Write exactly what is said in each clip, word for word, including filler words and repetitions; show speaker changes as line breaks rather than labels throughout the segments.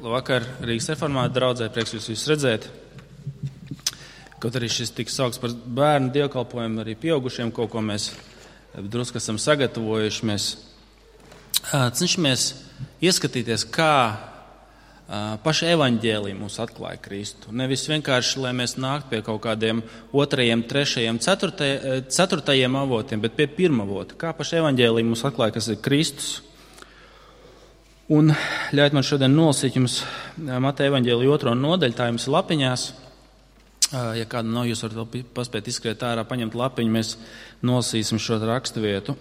Labvakar, Rīgas reformāta draudzē, prieks jūs visus redzēt. Kaut arī šis tiks saukts par bērnu dievkalpojumu, arī pieaugušiem kaut ko mēs drusku esam sagatavojuši. Mēs cenšamies ieskatīties, kā paša evaņģēlija mūs atklāja Kristu. Nevis vienkārši, lai mēs nāktu pie kaut kādiem otrajiem, trešajiem, ceturtajiem, ceturtajiem avotiem, bet pie pirmavota. Kā paša evaņģēlija mūs atklāja, kas ir Kristus. Un ļaujiet man šodien nolasīt jums Mateja evaņģēlija otro nodaļu, tā jums ir lapiņās. Ja kāda nav, jūs varat vēl paspēt izskriet ārā, paņemt lapiņu, mēs nolasīsim šo rakstu vietu.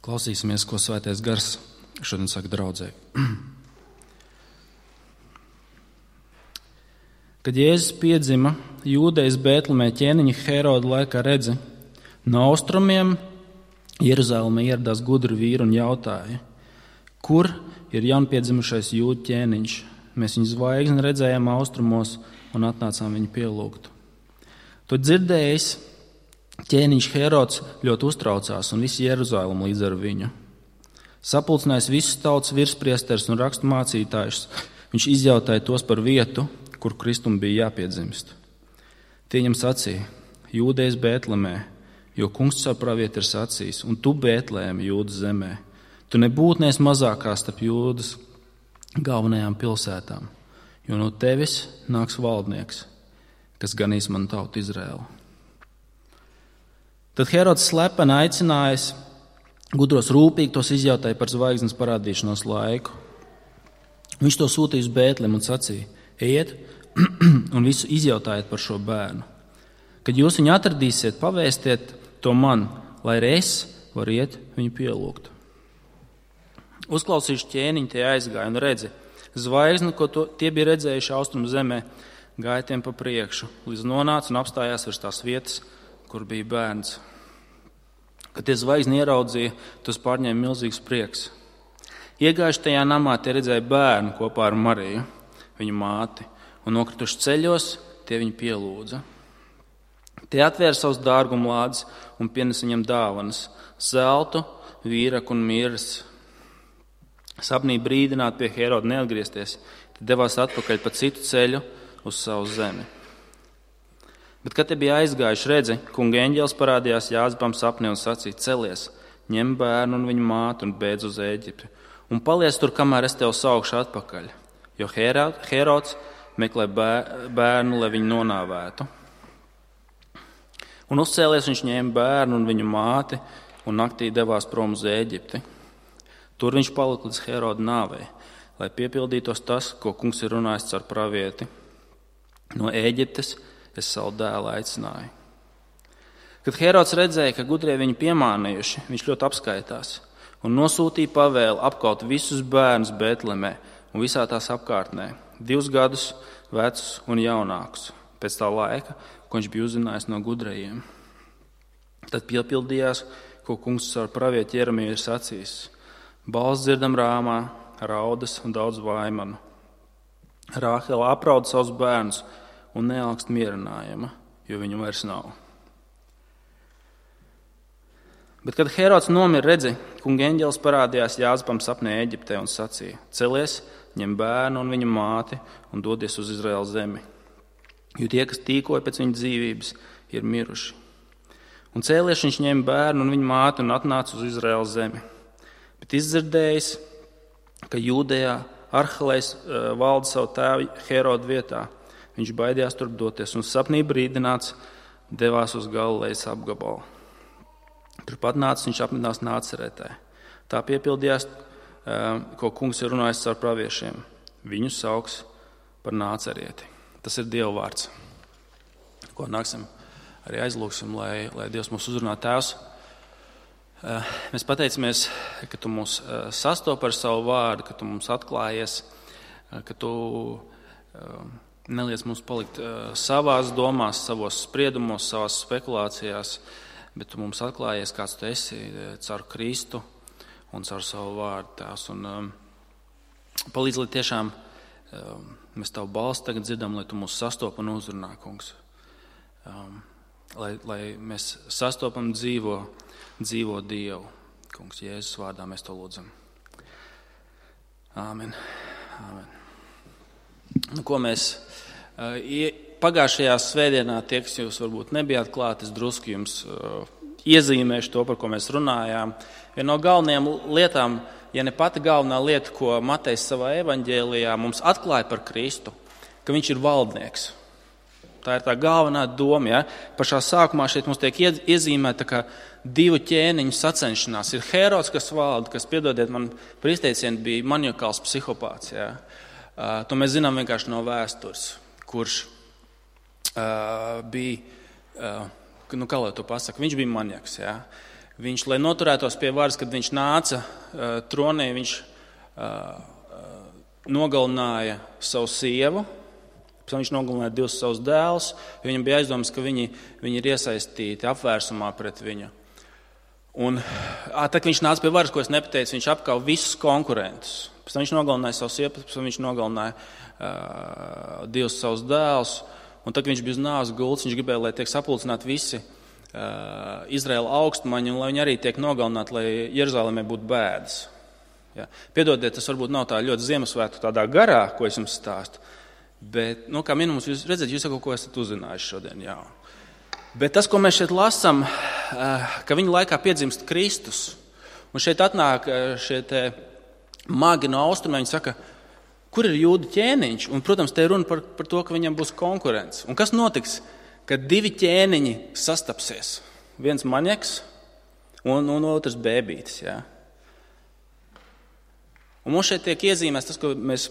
Klausīsimies, ko Svētais Gars šodien saka draudzē. Kad Jēzus piedzima Jūdejas Bētlemē ķēniņa Heroda laikā, redzi, no austrumiem Jeruzālēmē ieradās gudri vīri un jautāja, kur ir jaunpiedzimušais jūdu ķēniņš? Mēs viņu zvaigzni redzējām austrumos un atnācām viņu pielūgt. To dzirdējis, ķēniņš Herods ļoti uztraucās un visi Jeruzālēmu līdz ar viņu. Sapulcinājis visus tautas virspriesteris un rakstu mācītājus, viņš izjautāja tos par vietu, kur Kristum bija jāpiedzimst. Tie viņam sacīja, Jūdejas Bētlemē, jo kungs caur pravieti ir sacījis, un tu Bētlēmi Jūdas zemē. Tu nebūtu neesi mazākā starp Jūdas galvenajām pilsētām, jo no tevis nāks valdnieks, kas ganīs manu tautu Izraēlu. Tad Herods slepeni aicinājis gudros rūpīgi tos izjautāja par zvaigznes parādīšanos laiku. Viņš to sūtīja uz Bētlemi un sacīja, ejiet un visu izjautājiet par šo bērnu. Kad jūs viņu atradīsiet, pavēstiet to man, lai arī es varu iet viņu pielūgt. Uzklausījuši ķēniņi, tie aizgāja un redzi, zvaigzni, ko to, tie bija redzējuši austrumu zemē, gāja tiem pa priekšu, līdz nonāca un apstājās virs tās vietas, kur bija bērns. Kad tie zvaigzni ieraudzīja, tos pārņēma milzīgs prieks. Iegājuši tajā namā, tie redzēja bērnu kopā ar Mariju, viņu māti, un nokrituši ceļos, tie viņu pielūdza. Tie atvēra savus dārgumlādes un pienesa viņam dāvanas, zeltu, vīraku un miras. Sapnī brīdināt pie Heroda neatgriezties, tad devās atpakaļ pa citu ceļu uz savu zemi. Bet, kad te bija aizgājuši, redzi, kunga eņģelis parādījās Jāzepam sapnī un sacīja, celies, ņem bērnu un viņu māti un beidz uz Ēģipti, un paliec tur, kamēr es tev saukšu atpakaļ, jo Herods meklē bērnu, lai viņu nonāvētu. Un uzcēlies viņš ņēma bērnu un viņu māti un naktī devās prom uz Ēģipti. Tur viņš palika līdz Heroda nāvei, lai piepildītos tas, ko kungs ir runājis caur pravieti. No Ēģiptes es savu dēlu aicināju. Kad Herods redzēja, ka gudrie viņu piemānījuši, viņš ļoti apskaitās un nosūtīja pavēli apkaut visus bērnus Bētlemē un visā tās apkārtnē, divus gadus vecus un jaunākus, pēc tā laika, ko viņš bija uzzinājis no gudrajiem. Tad piepildījās, ko kungs caur pravieti Jeremiju ir sacījis. Balss dzirdam Rāmā, raudas un daudz vaimanu. Rāhela aprauda savus bērnus un nealkst mierinājuma, jo viņu vairs nav. Bet, kad Herods nomira, redzi, kunga eņģelis parādījās Jāzepam sapnē Ēģiptē un sacīja, celies, ņem bērnu un viņa māti un dodies uz Izraēlas zemi, jo tie, kas tīkoja pēc viņa dzīvības, ir miruši. Un cēlies viņš ņēma bērnu un viņa māti un atnāca uz Izraēlas zemi. Bet izdzirdējis, ka Jūdejā Arhelejs valda savu tēvu Herodu vietā, viņš baidījās turp doties un sapnī brīdināts devās uz Galilejas apgabalu. Turpat nācis viņš apmetnās Nāceretē. Tā piepildījās, ko kungs ir runājis caur praviešiem. Viņu sauks par Nācerieti. Tas ir Dieva vārds, ko nāksim arī aizlūksim, lai, lai Dievs mūs uzrunā. Tēvs, mēs pateicamies, ka tu mūs sastop ar savu vārdu, ka tu mums atklājies, ka tu neliec mums palikt savās domās, savos spriedumos, savās spekulācijās, bet tu mums atklājies, kāds tu esi caur Kristu un caur savu vārdu, Tēvs. Un um, palīdz, lai tiešām um, mēs tavu balsi tagad dzirdam, lai tu mūs sastop un uzrunā, kungs. Um, lai, lai mēs sastopam dzīvo, dzīvo Dievu. Kungs, Jēzus vārdā mēs to lūdzam. Āmen. Āmen. Nu, ko mēs uh, pagājušajā svētdienā, tie, kas jūs varbūt nebijāt klāt, es drusku jums uh, iezīmēšu to, par ko mēs runājām. Viena no galvenajām lietām, ja ne pati galvenā lieta, ko Matejs savā evaņģēlijā mums atklāja par Kristu, ka viņš ir valdnieks. Tā ir tā galvenā doma. Ja? Pašā sākumā šeit mums tiek iezīmēta kā divu ķēniņu sacenšanās. Ir Hērods, kas valda, kas, piedodiet man, par izteicienu bija maniakāls psihopāts. Ja? Uh, to mēs zinām vienkārši no vēstures, kurš uh, bija, uh, nu kā lai to pasaka, viņš bija maniaks. Ja? Viņš, lai noturētos pie varas, kad viņš nāca uh, tronī, viņš uh, uh, nogalināja savu sievu. Viņš nogalināja divus savus dēlus, jo viņam bija aizdomas, ka viņi, viņi ir iesaistīti apvērsumā pret viņu. Un tā, kad viņš nāca pie varas, ko es nepateicu, viņš apkauja visus konkurentus. Pēc tam viņš nogalināja savu sievu, pēc tam viņš nogalināja uh, divus savus dēlus. Un tad, kad viņš bija uz nāves gultas, viņš gribēja, lai tiek sapulcināti visi uh, Izraēla augstmaņi, un lai viņi arī tiek nogalināti, lai Jeruzalemē būtu bēdas. Ja. Piedodiet, tas varbūt nav tā ļoti Ziemassvētku tādā garā, ko es jums stāstu. Bet, nu, kā minimums, jūs redzat, jūs kaut ko esat uzzinājuši šodien jaunu. Bet tas, ko mēs šeit lasām, ka viņa laikā piedzimst Kristus, un šeit atnāk šie te magi no austrumiem, viņi saka, kur ir jūdu ķēniņš? Un, protams, te ir runa par, par to, ka viņam būs konkurence. Un kas notiks, kad divi ķēniņi sastapsies? Viens maniaks un, un otrs bēbītis. Ja? Un mums šeit tiek iezīmēts tas, ko mēs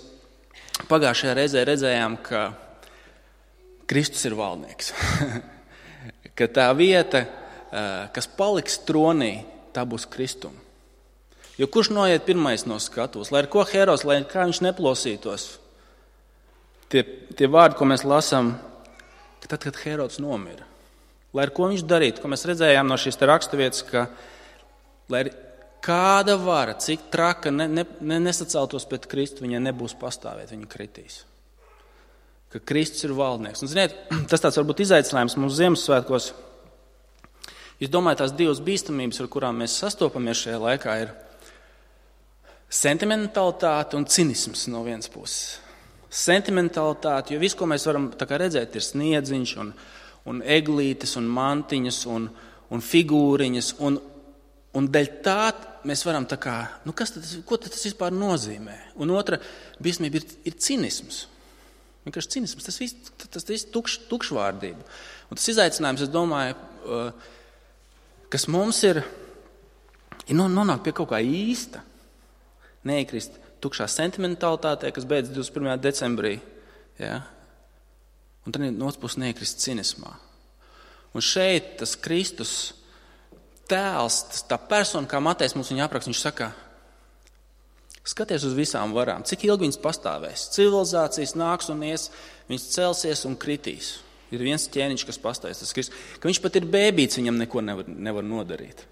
pagājušajā reizē redzējām, ka Kristus ir valdnieks. Ka tā vieta, kas paliks tronī, tā būs Kristum. Jo kurš noiet pirmais no skatuves? Lai ar ko Hērods, lai kā viņš neplosītos? Tie, tie vārdi, ko mēs lasām, ka tad, kad Hērods nomira, lai ar ko viņš darītu, ko mēs redzējām no šīs raksturvietas, ka lai kāda vara, cik traka ne, ne, ne, nesaceltos pret Kristu, viņai nebūs pastāvēt, viņa kritīs. Ka Kristus ir valdnieks. Un, ziniet, tas tāds varbūt izaicinājums mums Ziemassvētkos. Es domāju, tās divas bīstamības, ar kurām mēs sastopamies šajā laikā, ir sentimentalitāte un cinisms no vienas puses. Sentimentalitāte, jo viss, ko mēs varam tā kā redzēt, ir sniedziņš un, un eglītes un mantiņas un, un figūriņas. Un, un dēļ tā mēs varam tā kā, nu kas tad, ko tad tas vispār nozīmē? Un otra bīstamība ir, ir cinisms. Vienkārši cinisms, tas viss, tas viss tukš, tukšvārdība. Un tas izaicinājums, es domāju, kas mums ir, ir nonākt pie kaut kā īsta, neiekrist tukšā sentimentalitātē, kas beidz divdesmit pirmajā decembrī, ja? Un tad no otras puses neiekrist cinismā. Un šeit tas Kristus tēls, tas, tā persona, kā Matejs mums viņu apraksta, viņš saka, skaties uz visām varām, cik ilgi viņas pastāvēs. Civilizācijas nāks un ies, viņas celsies un kritīs. Ir viens ķēniņš, kas pastāvēs, tas Kristus, ka viņš pat ir bēbīts, viņam neko nevar, nevar nodarīt.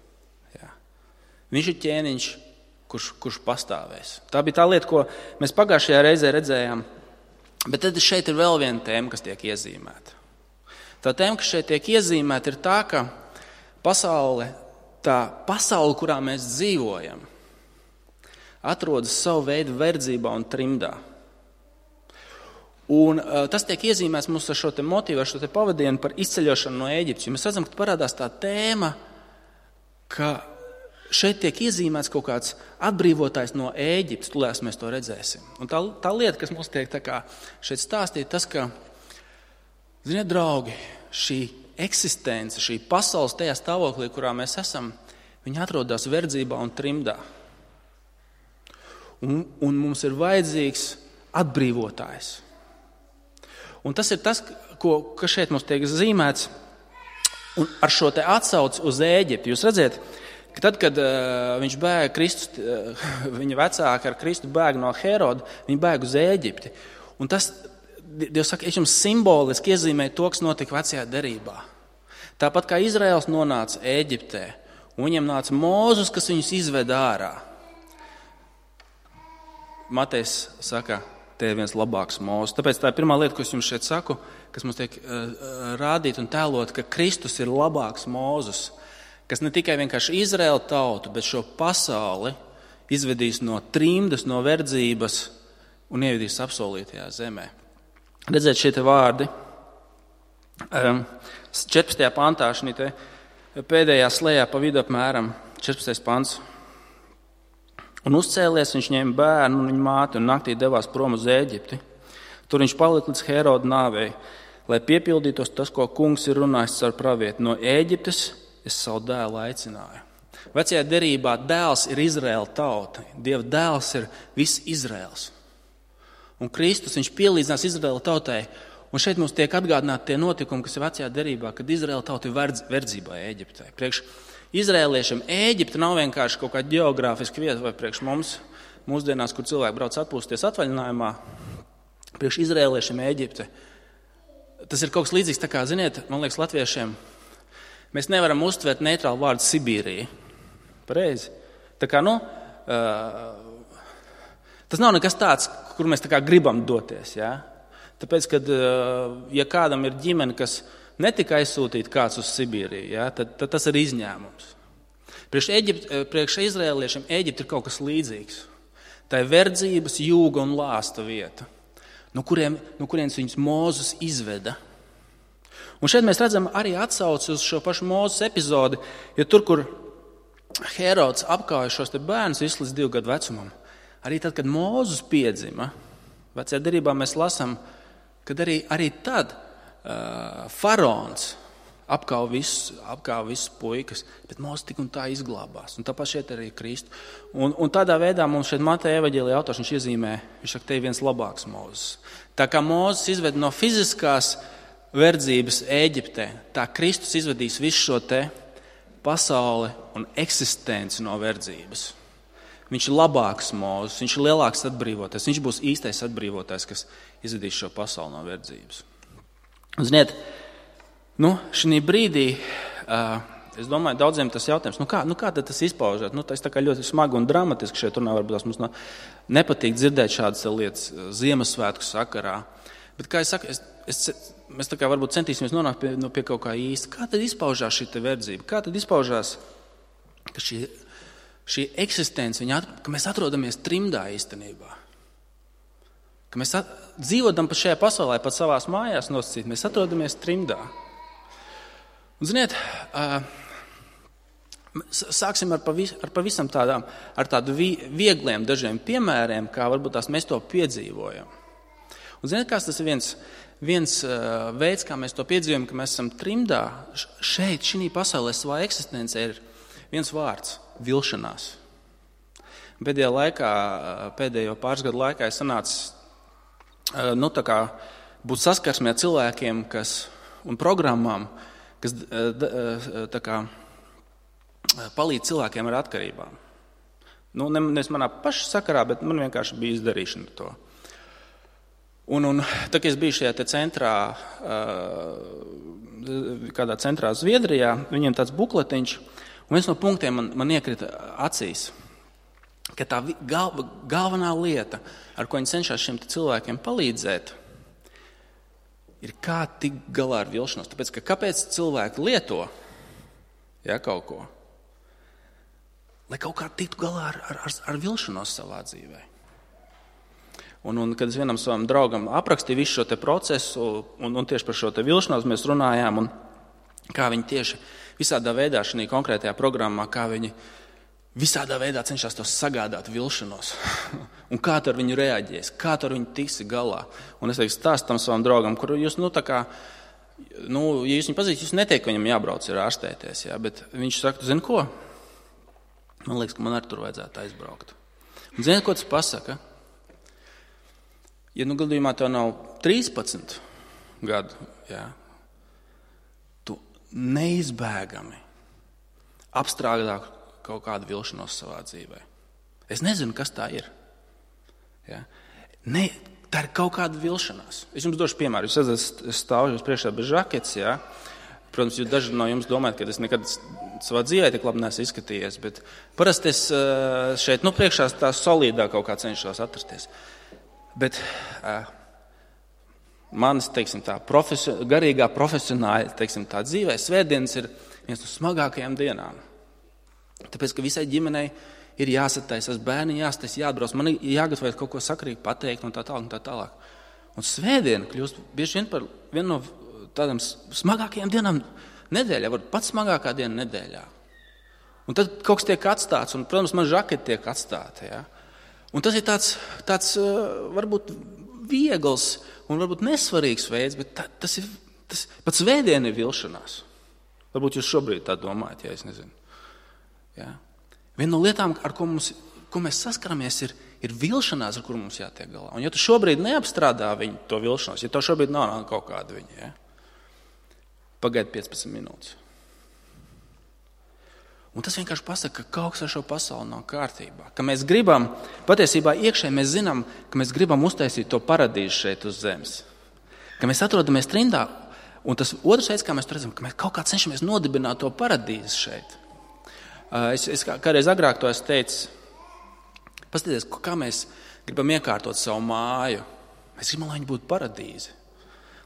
Jā. Viņš ir ķēniņš, kurš, kurš pastāvēs. Tā bija tā lieta, ko mēs pagājušajā reizē redzējām. Bet tad šeit ir vēl viena tēma, kas tiek iezīmēta. Tā tēma, kas šeit tiek iezīmēta, ir tā, ka pasaule, tā pasaule, kurā mēs dzīvojam, atrodas savu veidu verdzībā un trimdā. Un uh, tas tiek iezīmēts mums ar šo te motīvu, ar šo te pavadienu par izceļošanu no Ēģiptes. Mēs redzam, ka parādās tā tēma, ka šeit tiek iezīmēts kaut kāds atbrīvotājs no Ēģiptes, tūlēs mēs to redzēsim. Un tā, tā lieta, kas mums tiek tā kā šeit stāstīt, tas, ka, ziniet, draugi, šī eksistence, šī pasaules tajā stāvoklī, kurā mēs esam, viņa atrodas verdzībā un trimdā. Un, un mums ir vajadzīgs atbrīvotājs. Un tas ir tas, ko, kas šeit mums tiek zīmēts, un ar šo te atsauci uz Ēģipti. Jūs redzat, ka tad, kad uh, viņš bēga Kristus, uh, viņa vecāki ar Kristu bēga no Hēroda, viņi bēga uz Ēģipti. Un tas, Dievs saka, es jums simboliski iezīmēju to, kas notika vecajā derībā. Tāpat kā Izraels nonāca Ēģiptē, un viņiem nāca Mūzus, kas viņus izveda ārā. Matejs saka, te ir viens labāks Mūzes. Tāpēc tā ir pirmā lieta, ko es jums šeit saku, kas mums tiek uh, rādīt un tēlot, ka Kristus ir labāks Mūzes, kas ne tikai vienkārši Izraēla tautu, bet šo pasauli izvedīs no trimdas, no verdzības un ievedīs apsolītajā zemē. Redzēt šie te vārdi. Um, četrpadsmitajā pantā, šī te pēdējā slējā pa vidu apmēram četrpadsmitais pants. Un uzcēlies, viņš ņēma bērnu un viņa māti un naktī devās prom uz Ēģipti. Tur viņš palika līdz Heroda nāvei, lai piepildītos tas, ko kungs ir runājis caur pravietu. No Ēģiptes es savu dēlu aicināju. Vecajā derībā dēls ir Izraēla tauta. Dieva dēls ir viss Izraēls. Un Kristus, viņš pielīdzinās Izraēla tautai. Un šeit mums tiek atgādināti tie notikumi, kas ir vecajā derībā, kad Izraēla tauta ir verdz, verdzībā Ēģiptē. Priekš Izraēliešiem Ēģipte nav vienkārši kaut kāda ģeogrāfiska vieta vai priekš mums, mūsdienās, kur cilvēki brauc atpūsties atvaļinājumā. Priekš Izraēliešiem Ēģipte. Tas ir kaut kas līdzīgs, tā kā, ziniet, man liekas, latviešiem, mēs nevaram uztvert neitrālu vārdu Sibīrija. Pareizi. Tā kā, nu, uh, tas nav nekas tāds, kur mēs tā kā gribam doties, jā. Tāpēc, kad, uh, ja kādam ir ģimene, kas netika aizsūtīt kāds uz Sibīriju, ja, tad, tad tas ir izņēmums. Priekš, Eģipt, priekš Izraēliešiem Ēģipte ir kaut kas līdzīgs. Tā ir verdzības, jūga un lāsta vieta, no, kuriem, no kurienes viņus Mūzes izveda. Un šeit mēs redzam arī atsauci uz šo pašu Mūzes epizodi, jo tur, kur Herods apkauja šos te bērnus visu līdz divu gadu vecumam, arī tad, kad Mūzes piedzima, vecajā derībā mēs lasām, kad arī, arī tad Uh, faraons apkauj visus, apkauj visus puikas, bet Mūzes tik un tā izglābās. Un tāpat šeit arī Kristu. Un, un tādā veidā mums šeit Mateja evaņģēlijā autors viņš iezīmē, viņš saka, te ir viens labāks Mūzes. Tā kā Mūzes izved no fiziskās verdzības Ēģiptē, tā Kristus izvedīs visu šo te pasauli un eksistenci no verdzības. Viņš ir labāks Mūzes, viņš ir lielāks atbrīvotājs, viņš būs īstais atbrīvotājs, kas izvedīs šo pasauli no verdzības. Un, ziniet, nu, šī brīdī, uh, es domāju, daudziem tas jautājums, nu kā, nu kā tad tas izpaužās? Nu, tas tā kā ļoti smagi un dramatiski šeit runā, varbūt tas mums no, nepatīk dzirdēt šādas lietas Ziemassvētku sakarā. Bet, kā es saku, es, es, mēs tā kā varbūt centīsimies nonākt pie, nu, pie kaut kā īsta. Kā tad izpaužās šī te verdzība? Kā tad izpaužās, ka šī, šī eksistence, viņa, ka mēs atrodamies trimdā īstenībā? Ka mēs at, dzīvodam pa šajā pasaulē, pat savās mājās nosacīt, mēs atrodamies trimdā. Un, ziniet, uh, sāksim ar, pavis, ar pavisam tādām, ar tādu vi, viegliem dažiem piemēriem, kā varbūt tās mēs to piedzīvojam. Un, ziniet, kāds tas ir viens, viens uh, veids, kā mēs to piedzīvojam, ka mēs esam trimdā. Šeit, šī pasaulē, savā eksistencē ir viens vārds – vilšanās. Pēdējā laikā, pēdējo pāris gadu laikā es sanācu nu, tā kā būt saskarsmē cilvēkiem kas, un programmām, kas tā kā, palīdz cilvēkiem ar atkarībām. Nu, nevis manā paša sakarā, bet man vienkārši bija izdarīšana to. Un, un tā, kad es biju šajā te centrā, kādā centrā Zviedrijā, viņiem tāds bukletiņš, un viens no punktiem man, man iekrita acīs, ka tā galva, galvenā lieta, ar ko viņi cenšas šiem cilvēkiem palīdzēt, ir kā tikt galā ar vilšanos. Tāpēc, ka kāpēc cilvēki lieto ja, kaut ko? Lai kaut kā tiktu galā ar, ar, ar vilšanos savā dzīvē. Un, un kad es vienam savam draugam aprakstīju visu šo te procesu, un, un tieši par šo te vilšanos mēs runājām, un kā viņi tieši visādā veidā šajā konkrētajā programmā, kā viņi visādā veidā cenšas to sagādāt vilšanos. Un kā tu ar viņu reaģēs, kā tu ar viņu tiksi galā. Un es teiktu stāstu tam savam draugam, kur jūs, nu, tā kā, nu, ja jūs viņu pazīstat, jūs neteikt, ka viņam jābrauc ir ārstēties, jā, bet viņš saka, tu zini ko? Man liekas, ka man arī tur vajadzētu aizbraukt. Un zini, ko tas pasaka? Ja nu gadījumā tev nav trīspadsmit gadu, jā, tu neizbēgami apstrādā kaut kādu vilšanos savā dzīvē. Es nezinu, kas tā ir. Ja? Ne, tā ir kaut kāda vilšanās. Es jums došu piemēru. Jūs esat stāvu jums priekšā bez žaketes, ja? Protams, jūs daži no jums domājat, ka es nekad savā dzīvē tik labi neesmu izskatījies, bet parasti es šeit, nu, priekšā tā solīdā kaut kā cenšos atrasties. Bet uh, manis, teiksim tā, profesio, garīgā profesionāļa, teiksim tā, dzīvē svētdienas ir viens no smagākajām dienām. Tāpēc, ka visai ģimenei ir jāsataisas, bērni jāsataisas, jāatbrauc, man ir jāgatavojas kaut ko sakarīgi pateikt un tā tālāk un tā tālāk. Un svētdiena kļūst bieži vien par vienu no tādām smagākajām dienām nedēļā, varbūt pats smagākā diena nedēļā. Un tad kaut kas tiek atstāts, un, protams, man žaketi tiek atstāti. Ja? Un tas ir tāds, tāds varbūt viegls un varbūt nesvarīgs veids, bet tā, tas ir, tas, pat svētdiena ir vilšanās. Varbūt jūs šobrīd tā domājat, ja es nezinu. Ja? Viena no lietām, ar ko, mums, ko mēs saskaramies, ir, ir vilšanās, ar kuru mums jātiek galā. Un ja tu šobrīd neapstrādā viņu to vilšanos, ja to šobrīd nav kaut kāda viņa, ja? Pagaid piecpadsmit minūtes. Un tas vienkārši pasaka, ka kaut kas ar šo pasauli nav kārtībā. Ka mēs gribam, patiesībā iekšēji mēs zinām, ka mēs gribam uztaisīt to paradīzi šeit uz zemes. Ka mēs atrodamies trimdā, un tas otrs veids, kā mēs to redzam, ka mēs kaut kā cenšamies nodibināt to paradīzi šeit. Es, es kādreiz agrāk to esmu teicis, paskatieties, kā mēs gribam iekārtot savu māju. Mēs gribam, lai viņa būtu paradīze.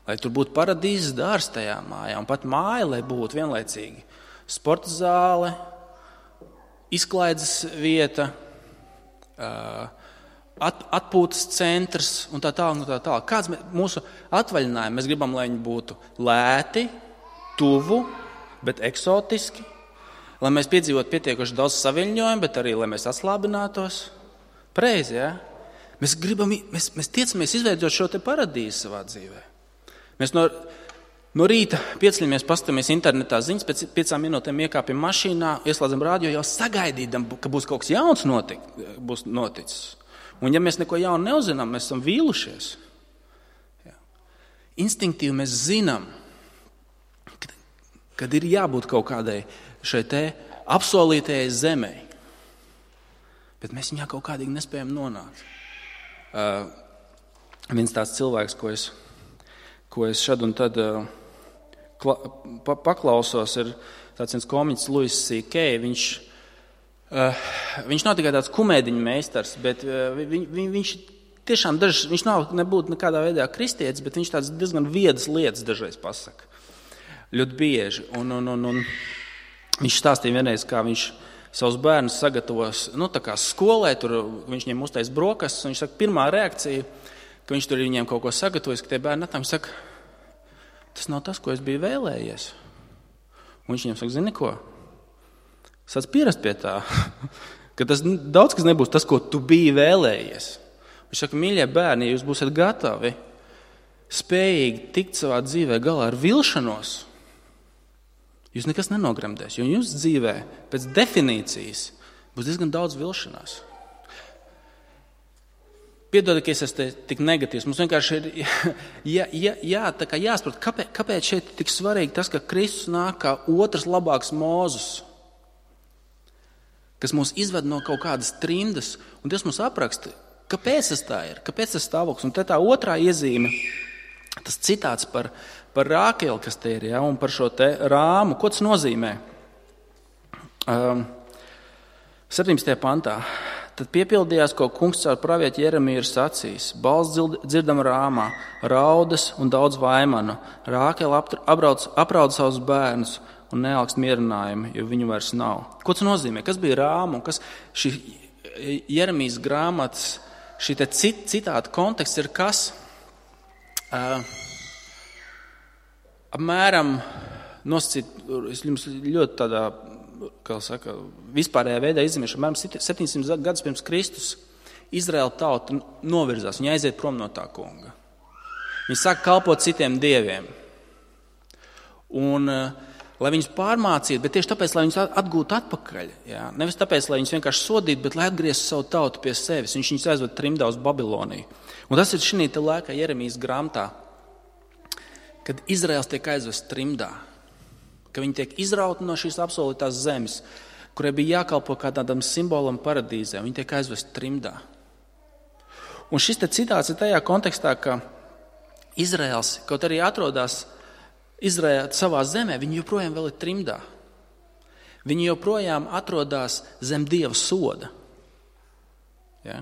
Lai tur būtu paradīzes dārs tajā mājā, un pat māja, lai būtu vienlaicīgi sporta zāle, izklaides vieta, at, atpūtas centrs un tā tālāk. Un tā tālāk. Kāds mūsu atvaļinājumi? Mēs gribam, lai viņi būtu lēti, tuvu, bet eksotiski, lai mēs piedzīvotu pietiekuši daudz saviļņojumu, bet arī, lai mēs atslābinātos. Pareizi, ja? Mēs gribam, mēs, mēs tiecamies izveidot šo te paradīzi savā dzīvē. Mēs no, no rīta pieceļamies, paskatāmies internetā ziņas, pēc piecām minūtēm iekāpjam mašīnā, ieslēdzam rādio, jau sagaidīdam, ka būs kaut kas jauns notik, būs noticis. Un ja mēs neko jaunu neuzinām, mēs esam vīlušies. Jā. Instinktīvi mēs zinām, kad, kad ir jābūt kaut kādai šai te apsolītajai zemei. Bet mēs viņā kaut kādīgi nespējam nonākt. Uh, viens tāds cilvēks, ko es ko es šad un tad uh, kla, pa, paklausos, ir tāds viens komiķis Louis C K. Viņš, uh, viņš nav tikai tāds kumēdiņu meistars, bet uh, viņ, viņ, viņš tiešām dažs, viņš nav nebūtu nekādā veidā kristietis, bet viņš tāds diezgan viedas lietas dažreiz pasaka. Ļoti bieži. Un, un, un, un viņš stāstīja vienreiz, kā viņš savus bērnus sagatavos, nu tā kā skolē, tur viņš viņiem uztais brokastis, un viņš saka, pirmā reakcija, ka viņš tur viņiem kaut ko sagatavojas, ka tie bērni atnāk, saka, tas nav tas, ko es biju vēlējies. Un viņš viņiem saka, zini ko? Sāc pierast pie tā, ka tas daudz kas nebūs tas, ko tu biji vēlējies. Viņš saka, mīļie bērni, ja jūs būsiet gatavi, spējīgi tikt savā dzīvē galā ar vilšanos, jūs nekas nenogremdēs, jo jums dzīvē pēc definīcijas būs diezgan daudz vilšanās. Piedod, ka es esmu tik negatīvs. Mums vienkārši ir jā, jā, jā, tā kā jāsaprot, kāpēc, kāpēc šeit ir tik svarīgi tas, ka Kristus nāk kā otrs labāks Mūzus, kas mūs izved no kaut kādas trimdas, un Dievs mums apraksta, kāpēc tas tā ir, kāpēc tas stāvoklis. Un te tā otrā iezīme, tas citāts par, par Rākeli, kas te ir, ja, un par šo te rāmu. Ko tas nozīmē? Um, septiņdesmitajā pantā. Tad piepildījās, ko kungs caur pravieti Jeremiju ir sacījis. Balss dzirdama rāmā, raudas un daudz vaimanu. Rākele aprauda aprauda savus bērnus un nealkst mierinājumu, jo viņu vairs nav. Ko tas nozīmē? Kas bija rāma? Kas šī Jeremijas grāmatas, šī te cit, citāta konteksts ir kas? Uh, apmēram nosacīt, es jums ļoti tādā, kā saka, vispārējā veidā izzīmēšu, apmēram septiņsimt gadus pirms Kristus Izraēla tauta novirzās, viņa aiziet prom no tā kunga. Viņi sāk kalpot citiem dieviem. Un, lai viņus pārmācītu, bet tieši tāpēc, lai viņus atgūtu atpakaļ. Jā. Nevis tāpēc, lai viņus vienkārši sodītu, bet lai atgrieztu savu tautu pie sevis. Viņš viņus aizved trimdā uz Babiloniju. Un tas ir šī te laikā Jeremijas grāmatā, kad Izraels tiek aizvests trimdā. Ka viņi tiek izrauti no šīs apsolītās zemes, kurai bija jākalpo kā tādam simbolam paradīzē. Viņi tiek aizvesti trimdā. Un šis te citāts ir tajā kontekstā, ka Izraels, kaut arī atrodas Izraēla savā zemē, viņi joprojām vēl ir trimdā. Viņi joprojām atrodas zem Dieva soda. Ja?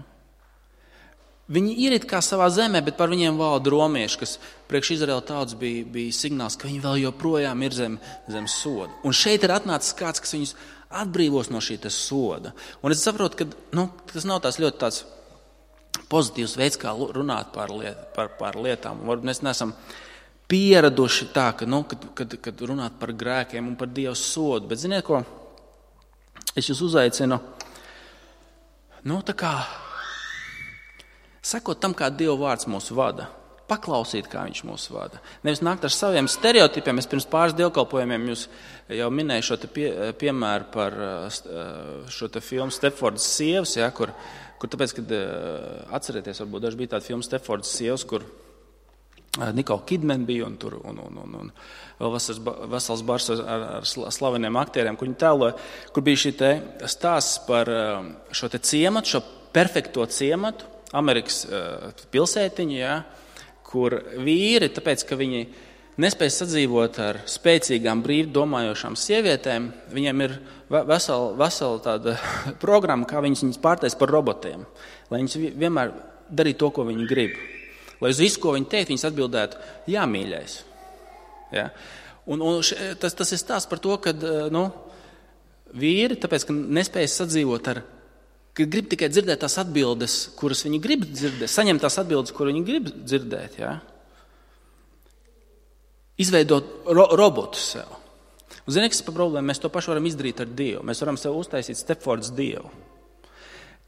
viņi ir it kā savā zemē, bet par viņiem valda romieši, kas priekš Izraēla tautas bija, bija signāls, ka viņi vēl joprojām ir zem, zem soda. Un šeit ir atnācis kāds, kas viņus atbrīvos no šī soda. Un es saprotu, ka nu, tas nav tās ļoti tāds pozitīvs veids, kā runāt par, liet, par, par lietām. Varbūt mēs neesam pieraduši tā, ka, nu, kad, kad, kad runāt par grēkiem un par Dieva sodu. Bet ziniet ko? Es jūs uzaicinu, nu tā kā sekot tam, kā Dieva vārds mūs vada, paklausīt, kā viņš mūs vada. Nevis nākt ar saviem stereotipiem. Es pirms pāris dievkalpojumiem jūs jau minēju šo te pie, piemēru par šo te filmu Stepfordas sievas, ja, kur, kur tāpēc, kad atcerieties, varbūt daži bija tāda filma Stepfordas sievas, kur Nikola Kidman bija un tur un, un, un, un vēl vesels, vesels bars ar, ar slaveniem aktieriem, kur viņi tēloja, kur bija šī te stāsts par šo te ciematu, šo perfekto ciematu, Amerikas uh, pilsētiņu, ja, kur vīri, tāpēc, ka viņi nespēj sadzīvot ar spēcīgām, brīvi domājošām sievietēm, viņiem ir vesela, vesela tāda programma, kā viņas, viņas pārtais par robotiem, lai viņas vienmēr darītu to, ko viņi grib. Lai uz visu, ko viņi teikt, viņas atbildētu, jā, mīļais. Ja. Un, un še, tas, tas ir stāsts par to, ka nu, vīri, tāpēc, ka nespēj sadzīvot ar ka grib tikai dzirdēt tās atbildes, kuras viņi grib dzirdēt, saņemt tās atbildes, kuras viņi grib dzirdēt, ja? Izveidot ro- robotu sev. Un zini, kas par problēmu? Mēs to pašu varam izdarīt ar Dievu. Mēs varam sev uztaisīt Stepfordas Dievu,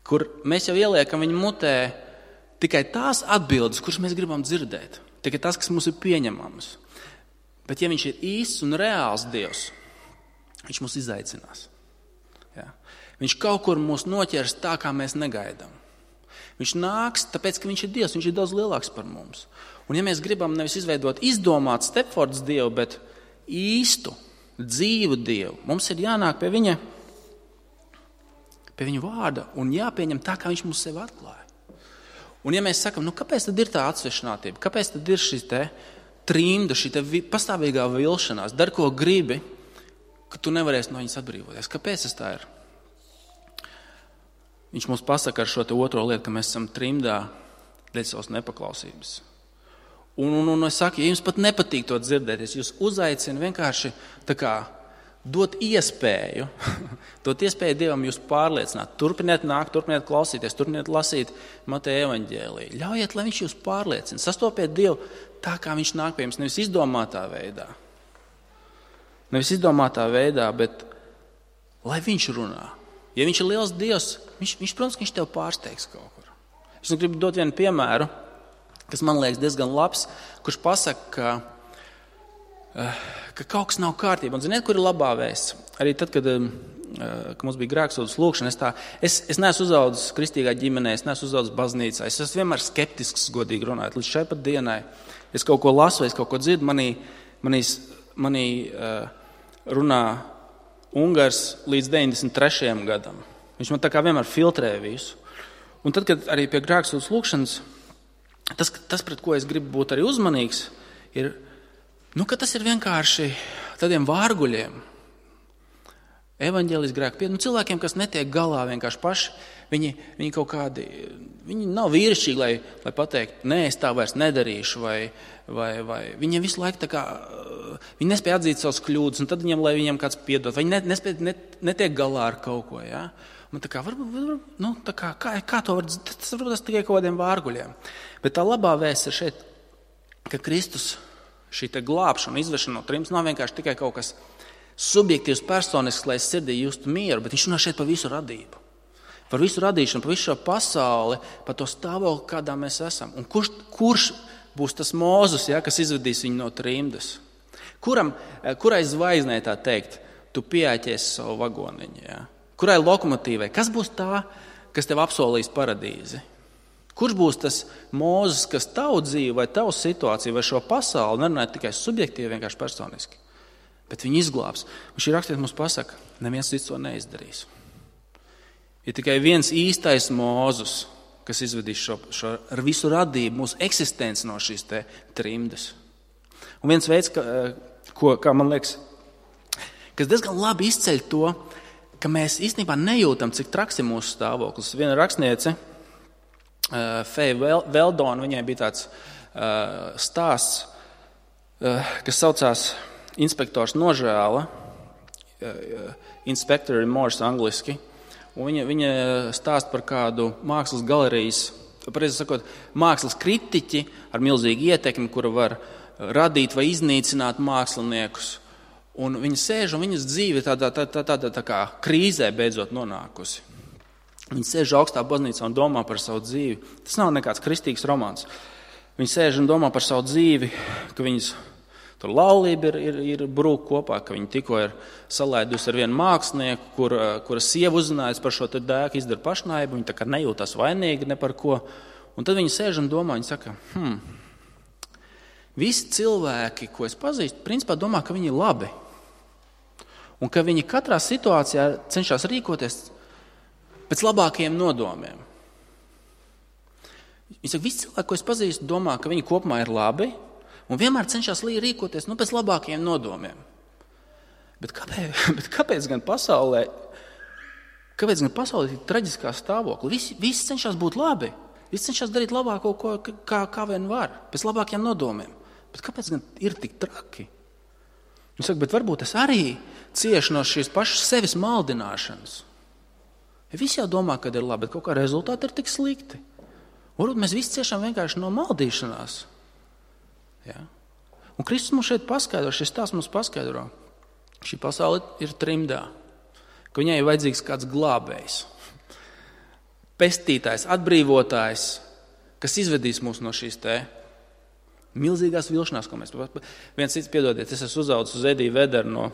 kur mēs jau ieliekam viņa mutē tikai tās atbildes, kuras mēs gribam dzirdēt, tikai tas, kas mums ir pieņemams. Bet ja viņš ir īsts un reāls Dievs, viņš mūs izaicinās. Ja? Viņš kaut kur mūs noķers tā, kā mēs negaidām. Viņš nāks, tāpēc, ka viņš ir Dievs, viņš ir daudz lielāks par mums. Un ja mēs gribam nevis izveidot izdomāt Stepfordas Dievu, bet īstu, dzīvu Dievu, mums ir jānāk pie viņa, pie viņa vārda un jāpieņem tā, kā viņš mums sevi atklāja. Un ja mēs sakam, nu kāpēc tad ir tā atsvešinātība, kāpēc tad ir šī te trimda, šī te pastāvīgā vilšanās, dar ko gribi, ka tu nevarēsi no viņas atbrīvoties. Kāpēc tas tā ir? Viņš mums pasaka ar šo te otro lietu, ka mēs esam trimdā dēļ savas nepaklausības. Un, un, un es saku, ja jums pat nepatīk to dzirdēt, es jūs uzaicinu vienkārši tā kā dot iespēju, dot iespēju Dievam jūs pārliecināt. Turpiniet nākt, turpiniet klausīties, turpiniet lasīt Mateja evaņģēliju. Ļaujiet, lai viņš jūs pārliecina. Sastopiet Dievu tā, kā viņš nāk pie jums, nevis izdomātā veidā. Nevis izdomātā veidā, bet lai viņš runā. Ja viņš ir liels Dievs, viņš, viņš protams, ka viņš tev pārsteigs kaut kur. Es gribu dot vienu piemēru, kas man liekas diezgan labs, kurš pasaka, ka, ka kaut kas nav kārtībā. Un ziniet, kur ir labā vēsts? Arī tad, kad, kad mums bija grēksūdzes lūkšana, es, tā, es, es neesmu uzaudzis kristīgā ģimenē, es neesmu uzaudzis baznīcā. Es esmu vienmēr skeptisks, godīgi runājot. Līdz šai pat dienai es kaut ko lasu, es kaut ko dzirdu, manī, manī, manī uh, runā Ungars līdz deviņdesmit trešajam gadam. Viņš man tā kā vienmēr filtrē visu. Un tad, kad arī pie grēksūdzes lūkšanas, tas, tas, pret ko es gribu būt arī uzmanīgs, ir, nu, ka tas ir vienkārši tādiem vārguļiem, evaņģēlis grēku pie, nu, cilvēkiem, kas netiek galā vienkārši paši, viņi, viņi kaut kādi, viņi nav vīrišķīgi, lai, lai pateikt, nē, es tā vairs nedarīšu, vai, vai, vai viņiem visu laiku tā kā, viņi nespēja atzīt savas kļūdas, un tad viņiem, lai viņiem kāds piedod, vai viņi nespēja, net, netiek galā ar kaut ko, ja? Un tā kā, varbūt, varbūt, nu, tā kā, kā, kā to var, tas varbūt tas tikai kaut kādiem vārguļiem. Bet tā labā vēsts ir šeit, ka Kristus šī te glābšana, izvešana no trims nav vienkārši tikai kaut kas subjektīvs, personisks, lai es sirdī justu mieru, bet viņš runā šeit par visu radību. Par visu radīšanu, par visu šo pasauli, par to stāvokli, kādā mēs esam. Un kurš, kurš būs tas Mūzes, ja, kas izvedīs viņu no trimdas? Kuram, kurai zvaigznei tā teikt, tu pieāķies savu vagoniņu, ja? Kurai lokomotīvai? Kas būs tā, kas tev apsolīs paradīzi? Kurš būs tas Mūzes, kas tavu dzīvi vai tavu situāciju vai šo pasauli nerunāja tikai subjektīvi, vienkārši personiski, bet viņi izglābs. Un šī rakstiet mums pasaka, neviens cits to neizdarīs. Ir tikai viens īstais Mūzes, kas izvedīs šo, šo ar visu radību, mūsu eksistenci no šīs te trimdas. Un viens veids, ka, ko, kā man liekas, kas diezgan labi izceļ to, ka mēs īstenībā nejūtam, cik traks ir mūsu stāvoklis. Viena rakstniece Feja Veldona, viņai bija tāds uh, stāsts, uh, kas saucās Inspektors nožēla, uh, Inspector remorse angliski, un viņa, viņa stāst par kādu mākslas galerijas, pareizi sakot, mākslas kritiķi ar milzīgu ietekmi, kura var radīt vai iznīcināt māksliniekus, un viņa sēž un viņas dzīve tādā, tādā, tādā tā kā krīzē beidzot nonākusi. Viņi sēž augstā baznīcā un domā par savu dzīvi. Tas nav nekāds kristīgs romāns. Viņi sēž un domā par savu dzīvi, ka viņas tur laulība ir, ir, ir brūk kopā, ka viņi tikko ir salaidusi ar vienu mākslinieku, kur, kura sieva uzzinājusi par šo te dēku, izdara pašnāvību, viņi tā kā nejūtas vainīgi ne par ko. Un tad viņi sēž un domā, viņi saka, hmm, visi cilvēki, ko es pazīstu, principā domā, ka viņi ir labi. Un ka viņi katrā situācijā cenšas rīkoties pēc labākajiem nodomiem. Viņi saka, visi cilvēki, ko es pazīstu, domā, ka viņi kopumā ir labi un vienmēr cenšas rīkoties nu, pēc labākajiem nodomiem. Bet kāpēc, bet kāpēc gan pasaulē, kāpēc gan pasaulē ir traģiskā stāvokļa? Visi, visi cenšas būt labi, visi cenšas darīt labāko, ko, kā, kā vien var, pēc labākajiem nodomiem. Bet kāpēc gan ir tik traki? Viņi saka, bet varbūt es arī ciešu no šīs pašas sevis maldināšanas. Visi jau domā, ka ir labi, bet kaut kā rezultāti ir tik slikti. Varbūt mēs visi ciešām vienkārši no maldīšanās. Ja? Un Kristus mums šeit paskaidro, šis stāsts mums paskaidro. Šī pasaule ir trimdā, ka viņai ir vajadzīgs kāds glābējs, pestītājs, atbrīvotājs, kas izvedīs mūs no šīs te milzīgās vilšanās, ko mēs... Viens cits, piedodiet, es esmu uzaudzis uz Ediju Vederu no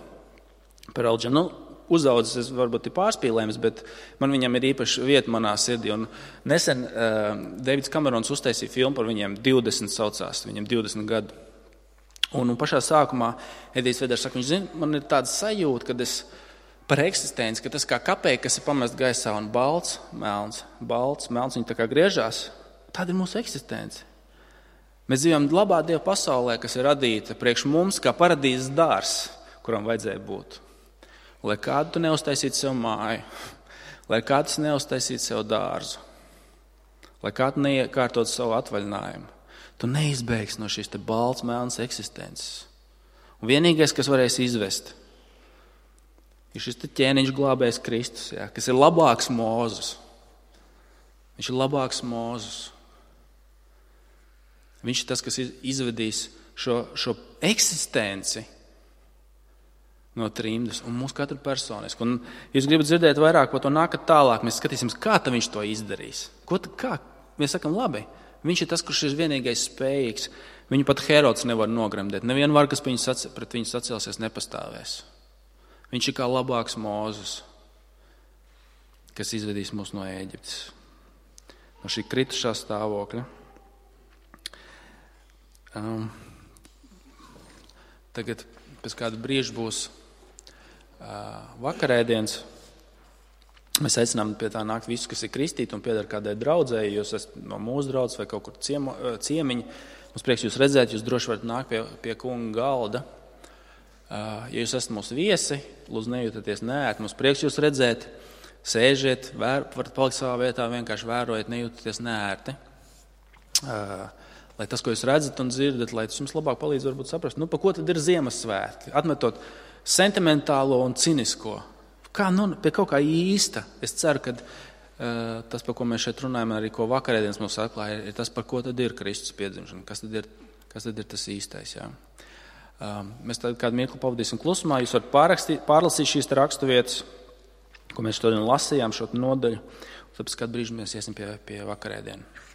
Perelģa. Nu, uzaudzis, es varbūt ir pārspīlējums, bet man viņam ir īpaši vieta manā sirdī. Un nesen uh, Deivids Kamerons uztaisīja filmu par viņiem divdesmit saucās, viņam divdesmit gadu. Un, un pašā sākumā Edijs Veders saka, viņš zina, man ir tāda sajūta, kad es par eksistenci, ka tas kā kapēja, kas ir pamest gaisā un balts, melns, balts, melns, viņi tā kā griežās, tāda ir mūsu eksistence. Mēs dzīvojam labā Dieva pasaulē, kas ir radīta priekš mums kā paradīzes dārs, kuram vajadzēja būt. Lai kādu tu neuztaisītu sev māju, lai kāds neuztaisītu sev dārzu, lai kādu neiekārtot savu atvaļinājumu, tu neizbēgsi no šīs te balts, melnas eksistences. Un vienīgais, kas varēs izvest, ir šis te ķēniņš glābējs Kristus, jā, kas ir labāks Mūzes. Viņš ir labāks Mūzes. Viņš ir tas, kas izvedīs šo, šo eksistenci no trimdas un mūsu katru personisku. Un jūs gribat dzirdēt vairāk par to nākat tālāk, mēs skatīsimies, kā ta viņš to izdarīs. Ko ta, kā? Mēs sakam, labi, viņš ir tas, kurš ir vienīgais spējīgs. Viņu pat Herods nevar nogremdēt. Neviena var, kas pret viņu sacelsies, nepastāvēs. Viņš ir kā labāks Mūzes, kas izvedīs mūs no Ēģiptes, no šī kritušā stāvokļa. Um, tagad pēc kāda brīža būs vakarēdienas. Mēs aicinām pie tā nākt visus, kas ir kristīti un pieder kādai draudzēji, jūs esat no mūsu draudzes vai kaut kur ciemo, ciemiņi. Mums prieks jūs redzēt, jūs droši varat nākt pie, pie kunga galda. Ja jūs esat mūsu viesi, lūdzu nejūtaties neērti, mums prieks jūs redzēt, sēžiet, vēr, varat palikt savā vietā, vienkārši vērojiet, nejūtaties neērti. Lai tas, ko jūs redzat un dzirdat, lai tas jums labāk palīdz varbūt saprast, nu, pa ko tad ir Ziemassvētki, atmetot sentimentālo un cinisko. Kā, nu, pie kaut kā īsta. Es ceru, ka uh, tas, par ko mēs šeit runājam, arī ko vakarēdienas mums atklāja, ir tas, par ko tad ir Kristus piedzimšana, kas tad ir, kas tad ir tas īstais. Jā. Uh, mēs tad kādu mirkli pavadīsim klusumā, jūs varat pārrakstīt, pārlasīt šīs rakstu vietas, ko mēs šodien lasījām, šo nodaļu, un tad pēc kādu brīžu mēs iesim pie, pie vakarēdienu.